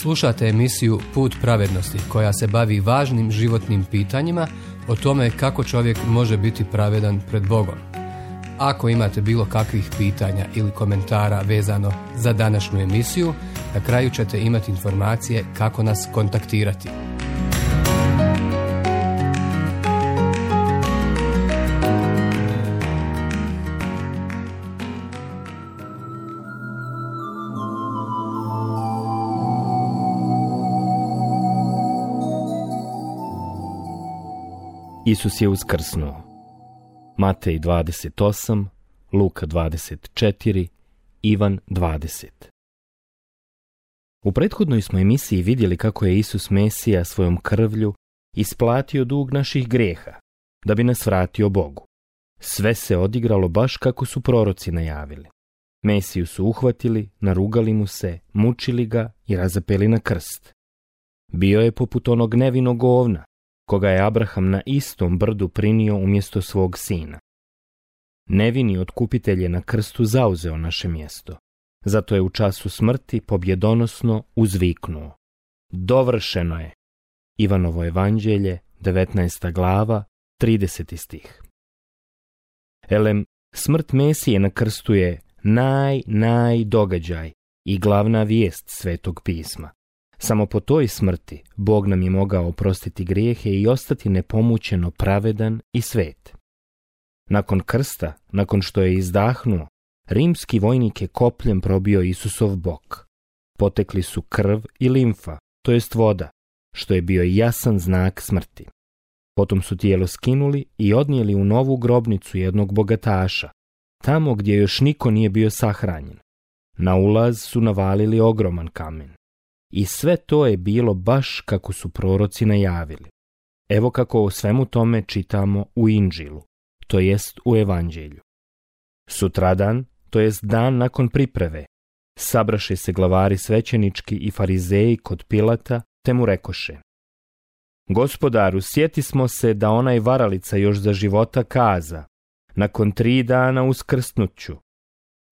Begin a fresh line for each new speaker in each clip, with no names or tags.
Slušate emisiju Put pravednosti koja se bavi važnim životnim pitanjima o tome kako čovjek može biti pravedan pred Bogom. Ako imate bilo kakvih pitanja ili komentara vezano za današnju emisiju, na kraju ćete imati informacije kako nas kontaktirati.
Isus je uskrsnuo. Matej 28, Luka 24, Ivan 20. U prethodnoj smo emisiji vidjeli kako je Isus Mesija svojom krvlju isplatio dug naših grijeha, da bi nas vratio Bogu. Sve se odigralo baš kako su proroci najavili. Mesiju su uhvatili, narugali mu se, mučili ga i razapeli na krst. Bio je poput onog nevinog ovna, koga je Abraham na istom brdu prinio umjesto svog sina. Nevini otkupitelj je na krstu zauzeo naše mjesto. Zato je u času smrti pobjedonosno uzviknuo: dovršeno je. Ivanovo evanđelje, 19. glava, 30. stih. Smrt Mesije na krstu je događaj i glavna vijest Svetog pisma. Samo po toj smrti Bog nam je mogao oprostiti grijehe i ostati nepomućeno pravedan i svet. Nakon krsta, nakon što je izdahnuo, rimski vojnik je kopljem probio Isusov bok. Potekli su krv i limfa, to jest voda, što je bio jasan znak smrti. Potom su tijelo skinuli i odnijeli u novu grobnicu jednog bogataša, tamo gdje još niko nije bio sahranjen. Na ulaz su navalili ogroman kamen. I sve to je bilo baš kako su proroci najavili. Evo kako o svemu tome čitamo u Inđilu, to jest u Evanđelju. Sutradan, to jest dan nakon priprave, sabraše se glavari svećenički i farizeji kod Pilata, te mu rekoše: Gospodaru, sjeti smo se da onaj varalica još za života kaza: nakon 3 dana uskrsnut ću.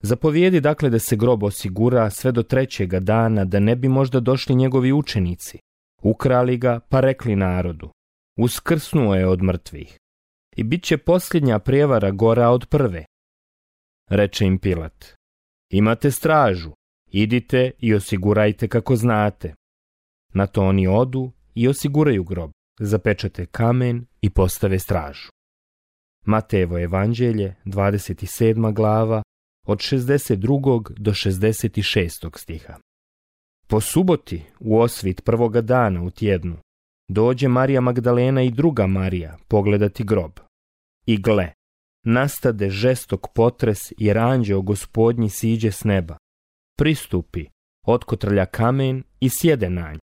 Zapovijedi dakle da se grob osigura sve do 3. dana, da ne bi možda došli njegovi učenici, ukrali ga pa rekli narodu: uskrsnuo je od mrtvih. I bit će posljednja prijevara gora od prve. Reče im Pilat: imate stražu, idite i osigurajte kako znate. Na to oni odu i osiguraju grob, zapečate kamen i postave stražu. Matejevo evanđelje, 27. glava, od 62. do 66. stiha. Po suboti, u osvit prvoga dana u tjednu, dođe Marija Magdalena i druga Marija pogledati grob. I gle, nastade žestok potres jer anđeo Gospodnji siđe s neba. Pristupi, otkotrlja kamen i sjede na nj.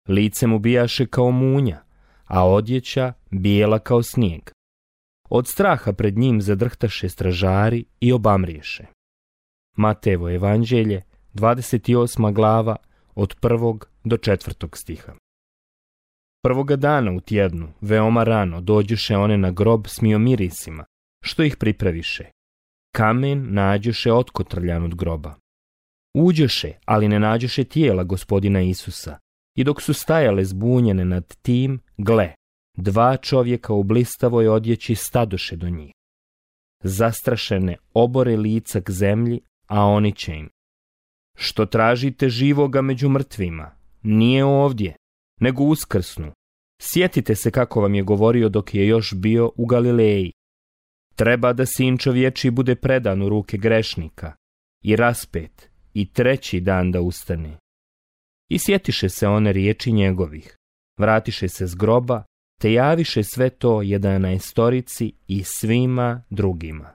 Lice mu bijaše kao munja, a odjeća bijela kao snijeg. Od straha pred njim zadrhtaše stražari i obamriješe. Matejevo evanđelje, 28. glava, od 1. do 4. stiha. Prvoga dana u tjednu, veoma rano, dođuše one na grob s miomirisima, što ih pripraviše. Kamen nađuše otkotrljan od groba. Uđoše, ali ne nađoše tijela Gospodina Isusa, i dok su stajale zbunjene nad tim, gle, 2 čovjeka u blistavoj odjeći stadoše do njih. Zastrašene obore lica k zemlji, a oni će im: što tražite živoga među mrtvima? Nije ovdje, nego uskrsnu. Sjetite se kako vam je govorio dok je još bio u Galileji. Treba da sin čovječiji bude predan u ruke grešnika i raspet i 3. dan da ustane. I sjetiše se one riječi njegovih, vratiše se s groba, te javiše sve to 11 i svima drugima.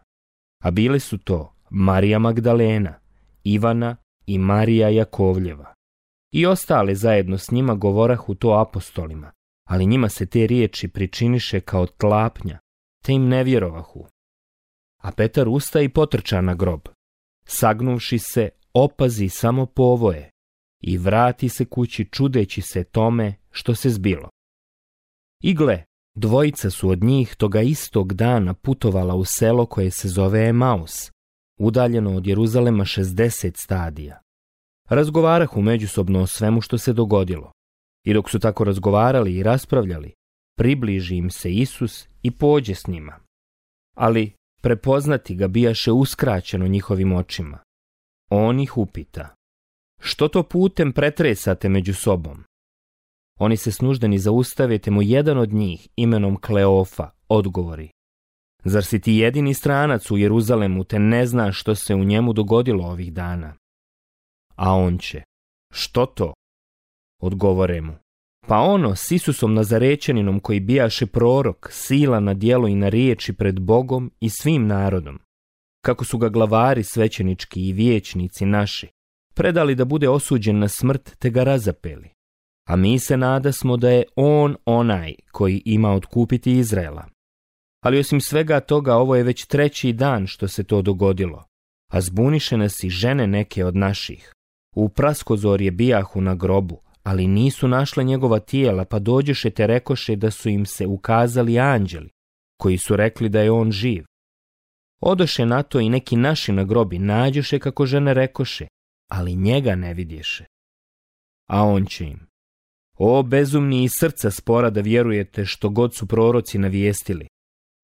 A bile su to Marija Magdalena, Ivana i Marija Jakovljeva. I ostale zajedno s njima govorahu to apostolima, ali njima se te riječi pričiniše kao tlapnja, te im ne vjerovahu. A Petar usta i potrča na grob. Sagnuvši se, opazi samo povoje i vrati se kući čudeći se tome što se zbilo. I gle, 2 su od njih toga istog dana putovala u selo koje se zove Emaus, udaljeno od Jeruzalema 60 stadija. Razgovarahu međusobno o svemu što se dogodilo. I dok su tako razgovarali i raspravljali, približi im se Isus i pođe s njima. Ali prepoznati ga bijaše uskraćeno njihovim očima. On ih upita: što to putem pretresate među sobom? Oni se snuždeni zaustave, te mu jedan od njih, imenom Kleofa, odgovori: zar si ti jedini stranac u Jeruzalemu, te ne znaš što se u njemu dogodilo ovih dana? A on će: što to? Odgovore mu: pa ono s Isusom Nazarečaninom, koji bijaše prorok, sila na djelo i na riječi pred Bogom i svim narodom, kako su ga glavari svećenički i vijećnici naši predali da bude osuđen na smrt, te ga razapeli. A mi se nadasmo da je on onaj koji ima otkupiti Izraela. Ali osim svega toga, ovo je već 3. dan što se to dogodilo, a zbuniše nas i žene neke od naših. U praskozorje bijahu na grobu, ali nisu našle njegova tijela, pa dođeše te rekoše da su im se ukazali anđeli, koji su rekli da je on živ. Odoše na to i neki naši na grobi, nađoše kako žene rekoše, ali njega ne vidješe. A on će im: o bezumni i srca spora da vjerujete što god su proroci navijestili.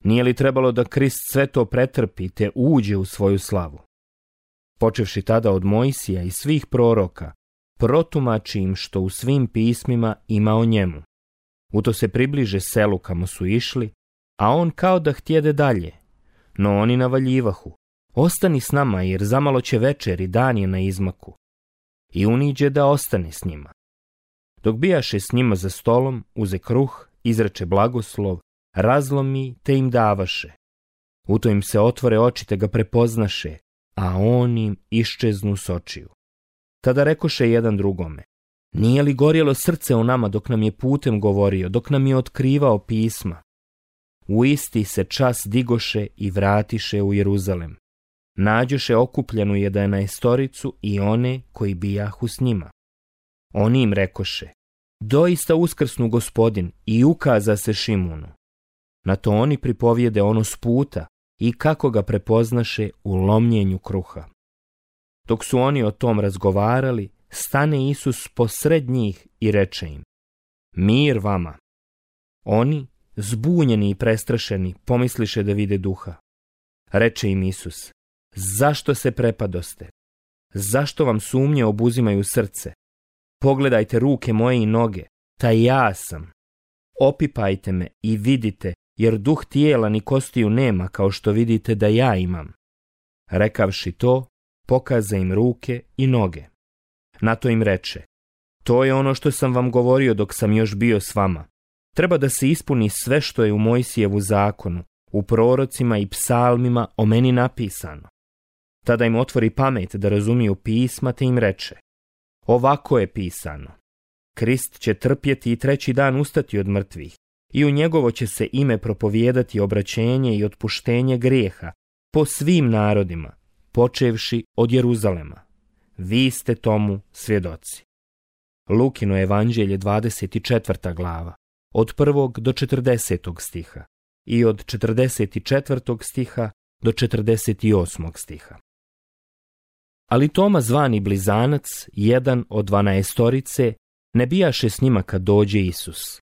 Nije li trebalo da Krist sve to pretrpi te uđe u svoju slavu? Počevši tada od Mojsija i svih proroka, protumači im što u svim pismima ima o njemu. U to se približe selu kamo su išli, a on kao da htjede dalje. No oni navaljivahu: ostani s nama, jer zamalo će večer i dan je na izmaku. I uniđe da ostane s njima. Dok bijaše s njima za stolom, uze kruh, izreče blagoslov, razlomi te im davaše. U to im se otvore oči te ga prepoznaše, a on im iščeznu s očiju. Tada rekoše jedan drugome: nije li gorjelo srce u nama dok nam je putem govorio, dok nam je otkrivao pisma? U isti se čas digoše i vratiše u Jeruzalem. Nađoše okupljenu 11 i one koji bijahu s njima. Oni im rekoše: doista uskrsnu Gospodin i ukaza se Šimunu. Na to oni pripovijede ono s puta i kako ga prepoznaše u lomljenju kruha. Dok su oni o tom razgovarali, stane Isus posred njih i reče im: mir vama. Oni, zbunjeni i prestrašeni, pomisliše da vide duha. Reče im Isus: zašto se prepadoste? Zašto vam sumnje obuzimaju srce? Pogledajte ruke moje i noge, taj ja sam. Opipajte me i vidite, jer duh tijela ni kostiju nema, kao što vidite da ja imam. Rekavši to, pokaza im ruke i noge. Na to im reče: to je ono što sam vam govorio dok sam još bio s vama. Treba da se ispuni sve što je u Mojsijevu zakonu, u prorocima i psalmima o meni napisano. Tada im otvori pamet da razumiju pisma, te im reče: ovako je pisano: Krist će trpjeti i 3. dan ustati od mrtvih, i u njegovo će se ime propovijedati obraćenje i otpuštenje grijeha po svim narodima, počevši od Jeruzalema. Vi ste tomu svjedoci. Lukino evanđelje 24. glava, od 1. do 40. stiha i od 44. stiha do 48. stiha. Ali Toma, zvani Blizanac, jedan od 12, ne bijaše s njima kad dođe Isus.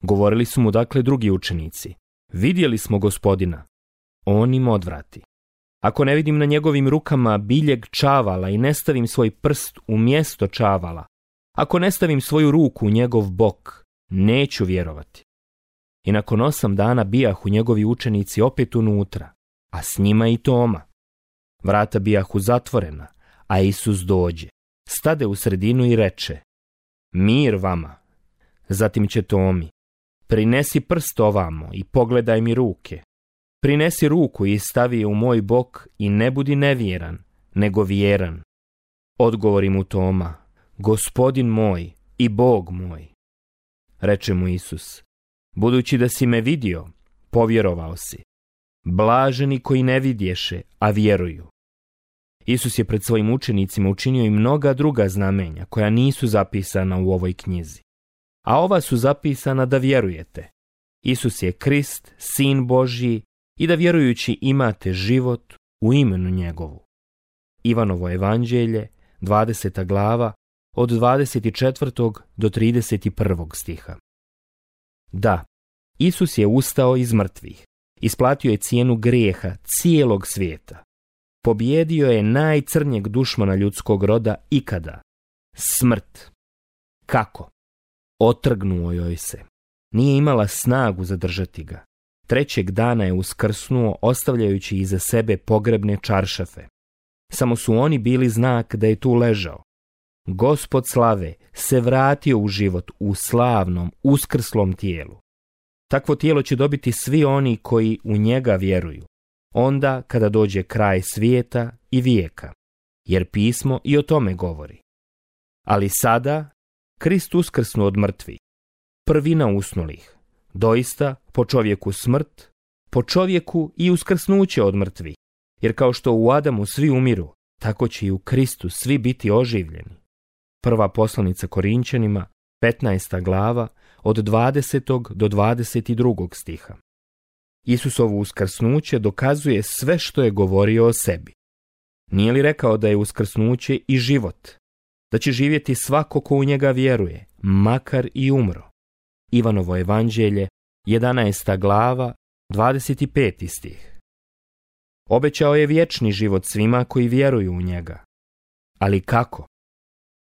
Govorili su mu dakle drugi učenici: vidjeli smo Gospodina. On im odvrati: ako ne vidim na njegovim rukama biljeg čavala i ne stavim svoj prst u mjesto čavala, ako ne stavim svoju ruku u njegov bok, neću vjerovati. I nakon 8 dana bijahu njegovi učenici opet unutra, a s njima i Toma. Vrata bijahu zatvorena, a Isus dođe, stade u sredinu i reče: mir vama. Zatim će Tomi: prinesi prst ovamo i pogledaj mi ruke. Prinesi ruku i stavi je u moj bok i ne budi nevjeran, nego vjeran. Odgovori mu Toma: Gospodin moj i Bog moj. Reče mu Isus: budući da si me vidio, povjerovao si. Blaženi koji ne vidješe, a vjeruju. Isus je pred svojim učenicima učinio i mnoga druga znamenja koja nisu zapisana u ovoj knjizi. A ova su zapisana da vjerujete: Isus je Krist, Sin Božji, i da vjerujući imate život u imenu njegovu. Ivanovo evanđelje, 20. glava, od 24. do 31. stiha. Da, Isus je ustao iz mrtvih, isplatio je cijenu grijeha cijelog svijeta. Pobijedio je najcrnjeg dušmana ljudskog roda ikada, smrt. Kako? Otrgnuo joj se. Nije imala snagu zadržati ga. Trećeg dana je uskrsnuo, ostavljajući iza sebe pogrebne čaršafe. Samo su oni bili znak da je tu ležao. Gospod slave se vratio u život u slavnom, uskrslom tijelu. Takvo tijelo će dobiti svi oni koji u njega vjeruju, onda kada dođe kraj svijeta i vijeka, jer pismo i o tome govori. Ali sada Krist uskrsnu od mrtvih, prvina usnulih, doista po čovjeku smrt, po čovjeku i uskrsnuće od mrtvih, jer kao što u Adamu svi umiru, tako će i u Kristu svi biti oživljeni. Prva poslanica Korinčanima, 15. glava, od 20. do 22. stiha. Isusovo uskrsnuće dokazuje sve što je govorio o sebi. Nije li rekao da je uskrsnuće i život, da će živjeti svako ko u njega vjeruje, makar i umro? Ivanovo evanđelje, 11. glava, 25. stih. Obećao je vječni život svima koji vjeruju u njega. Ali kako?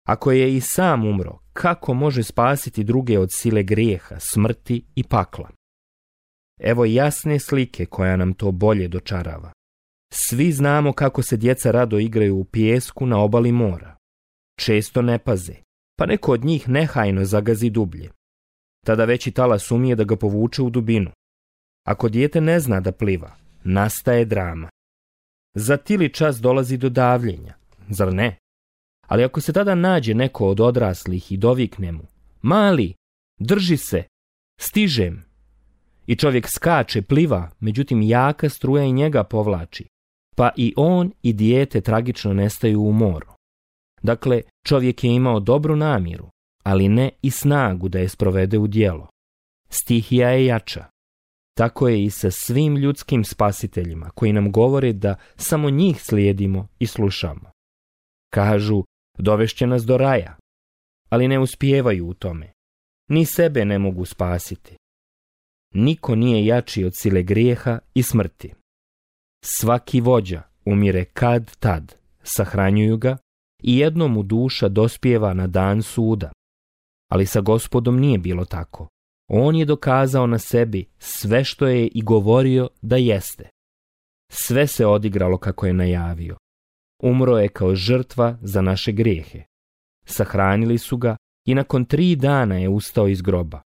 Ako je i sam umro, kako može spasiti druge od sile grijeha, smrti i pakla? Evo jasne slike koja nam to bolje dočarava. Svi znamo kako se djeca rado igraju u pijesku na obali mora. Često ne paze, pa neko od njih nehajno zagazi dublje. Tada veći talas umije da ga povuče u dubinu. Ako dijete ne zna da pliva, nastaje drama. Za tili čas dolazi do davljenja, zar ne? Ali ako se tada nađe neko od odraslih i dovikne mu: mali, drži se, stižem, i čovjek skače, pliva, međutim jaka struja i njega povlači, pa i on i dijete tragično nestaju u moru. Dakle, čovjek je imao dobru namjeru, ali ne i snagu da je sprovede u djelo. Stihija je jača. Tako je i sa svim ljudskim spasiteljima koji nam govore da samo njih slijedimo i slušamo. Kažu, dovešće nas do raja, ali ne uspijevaju u tome. Ni sebe ne mogu spasiti. Niko nije jači od sile grijeha i smrti. Svaki vođa umire kad tad, sahranjuju ga i jednom mu duša dospijeva na dan suda. Ali sa Gospodom nije bilo tako. On je dokazao na sebi sve što je i govorio da jeste. Sve se odigralo kako je najavio. Umro je kao žrtva za naše grijehe. Sahranili su ga i nakon 3 dana je ustao iz groba.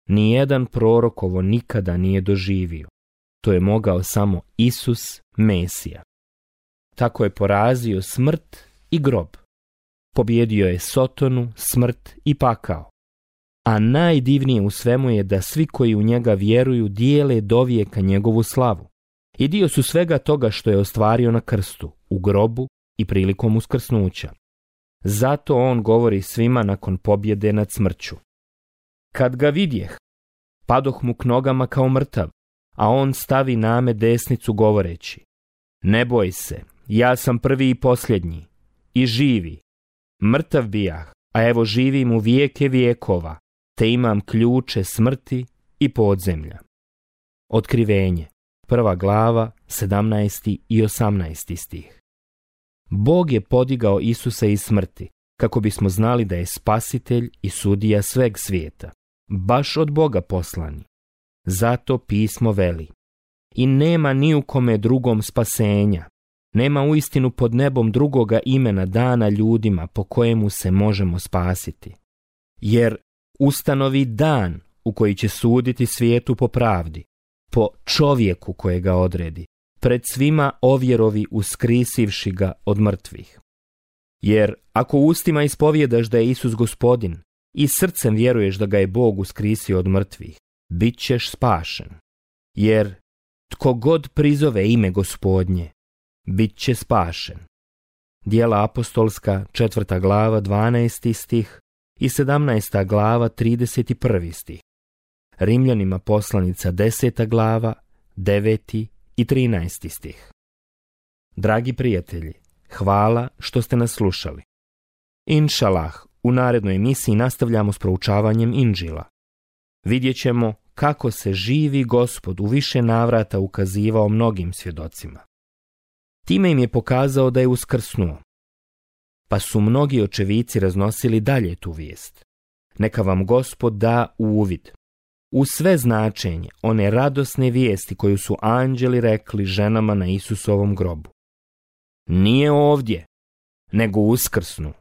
Nijedan prorok ovo nikada nije doživio. To je mogao samo Isus, Mesija. Tako je porazio smrt i grob. Pobjedio je Sotonu, smrt i pakao. A najdivnije u svemu je da svi koji u njega vjeruju dijele dovijeka njegovu slavu. I dio su svega toga što je ostvario na krstu, u grobu i prilikom uskrsnuća. Zato on govori svima nakon pobjede nad smrću. Kad ga vidjeh, padoh mu k nogama kao mrtav, a on stavi name desnicu govoreći: ne boj se, ja sam prvi i posljednji, i živi. Mrtav bijah, a evo živim u vijeke vijekova, te imam ključe smrti i podzemlja. Otkrivenje, 1. glava, 17. i 18. stih. Bog je podigao Isusa iz smrti, kako bismo znali da je spasitelj i sudija sveg svijeta, baš od Boga poslani. Zato pismo veli: i nema ni u kome drugom spasenja, nema uistinu pod nebom drugoga imena dana ljudima po kojemu se možemo spasiti. Jer ustanovi dan u koji će suditi svijetu po pravdi, po čovjeku kojega odredi, pred svima ovjerovi uskrisivši ga od mrtvih. Jer ako ustima ispovjedaš da je Isus Gospodin i srcem vjeruješ da ga je Bog uskrisio od mrtvih, bit ćeš spašen. Jer tko god prizove ime Gospodnje, bit će spašen. Djela apostolska, 4. glava, 12. stih i 17. glava, 31. stih. Rimljanima poslanica, 10. glava, 9. i 13. stih. Dragi prijatelji, hvala što ste nas slušali. Inšalah, u narednoj emisiji nastavljamo s proučavanjem Inđila. Vidjet ćemo kako se živi Gospod u više navrata ukazivao mnogim svjedocima. Time im je pokazao da je uskrsnuo. Pa su mnogi očevici raznosili dalje tu vijest. Neka vam Gospod da uvid u sve značenje one radosne vijesti koju su anđeli rekli ženama na Isusovom grobu. Nije ovdje, nego uskrsnu.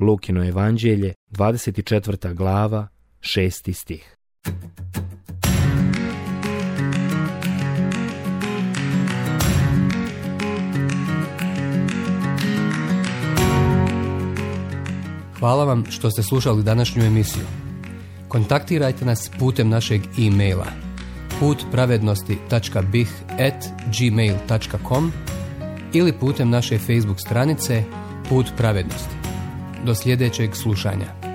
Lukino evanđelje, 24. glava, 6. stih.
Hvala vam što ste slušali današnju emisiju. Kontaktirajte nas putem našeg e-maila putpravednosti.bih@gmail.com ili putem naše Facebook stranice Put pravednosti. Do sljedećeg slušanja.